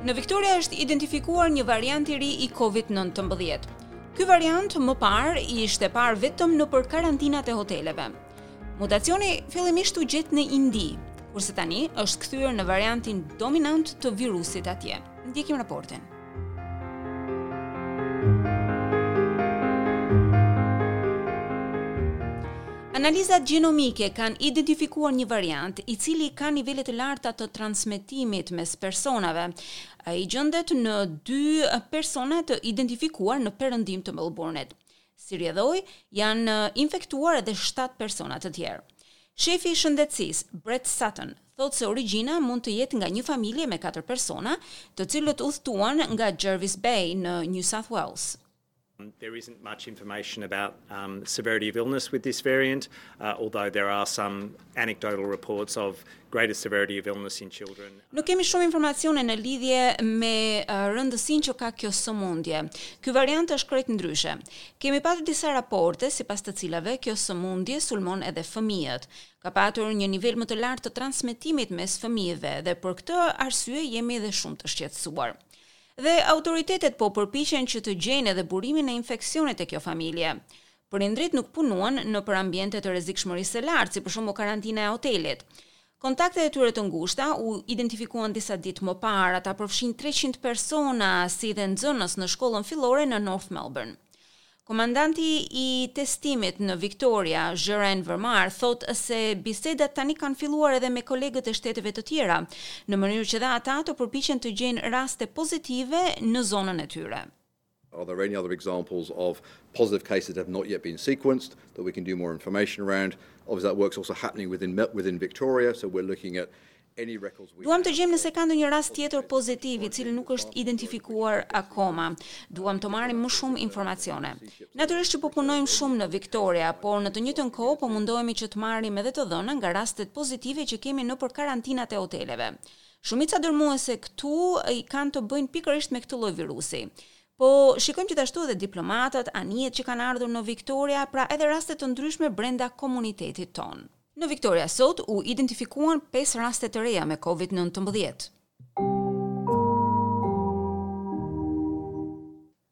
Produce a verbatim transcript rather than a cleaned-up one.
Në Victoria është identifikuar një variant i ri i Covid nëntëmbëdhjetë. Ky variant më parë ishte parë vetëm nëpër karantinat e hoteleve. Mutacioni fillimisht u gjet në Indi, kurse tani është kthyer në variantin dominant të virusit atje. Ndjekim raportin. Analizat gjenomike kanë identifikuar një variant i cili ka nivele të larta të transmetimit mes personave. Ai gjendet në dy persona të identifikuar në perëndim të Melbourne-it. Si rrjedhojë, janë infektuar edhe shtatë persona të tjerë. Shefi i shëndetësisë, Brett Sutton, thotë se origjina mund të jetë nga një familje me katër persona, të cilët udhëtuan nga Jervis Bay në New South Wales. There isn't much information about um, severity of illness with this variant, uh, although there are some anecdotal reports of greater severity of illness in children. Nuk kemi shumë informacione në lidhje me uh, rëndësinë që ka kjo sëmundje. Ky variant është krejt ndryshe. Kemi patur disa raporte sipas të cilave kjo sëmundje sulmon edhe fëmijët. Ka patur një nivel më të lartë të transmetimit mes fëmijëve dhe për këtë arsye jemi edhe shumë të shqetësuar. Dhe autoritetet po përpiqen që të gjejnë edhe burimin e infeksionit e kjo familje. Prindrit nuk punuan nëpër ambiente të rrezikshmërisë së lartë, si për shembull karantina e hotelit. Kontaktet e tyre të ngushta u identifikuan disa ditë më parë, ata përfshin treqind persona si dhe nxënës në shkollën fillore në North Melbourne. Komandanti i testimit në Victoria, Jeroen Vermar, thotë se bisedat tani kanë filluar edhe me kolegët e shteteve të tjera, në mënyrë që dhe ata të përpiqen të gjejnë raste pozitive në zonën e tyre. Are there any other examples of positive cases that have not yet been sequenced that we can do more information around? Obviously, that work's also happening within, within Victoria, so we're looking at Duam të gjejmë nëse ka ndonjë rast tjetër pozitiv i cili nuk është identifikuar akoma. Duam të marrim më shumë informacione. Natyrisht që po punojmë shumë në Victoria, por në të njëjtën kohë po mundohemi që të marrim edhe të dhëna nga rastet pozitive që kemi nëpër karantinat e hoteleve. Shumica dërmuese këtu i kanë të bëjnë pikërisht me këtë lloj virusi. Po shikojmë gjithashtu edhe diplomatët, anijet që kanë ardhur në Victoria, pra edhe raste të ndryshme brenda komunitetit tonë. Në Victoria sot u identifikuan pesë raste të reja me Covid nëntëmbëdhjetë.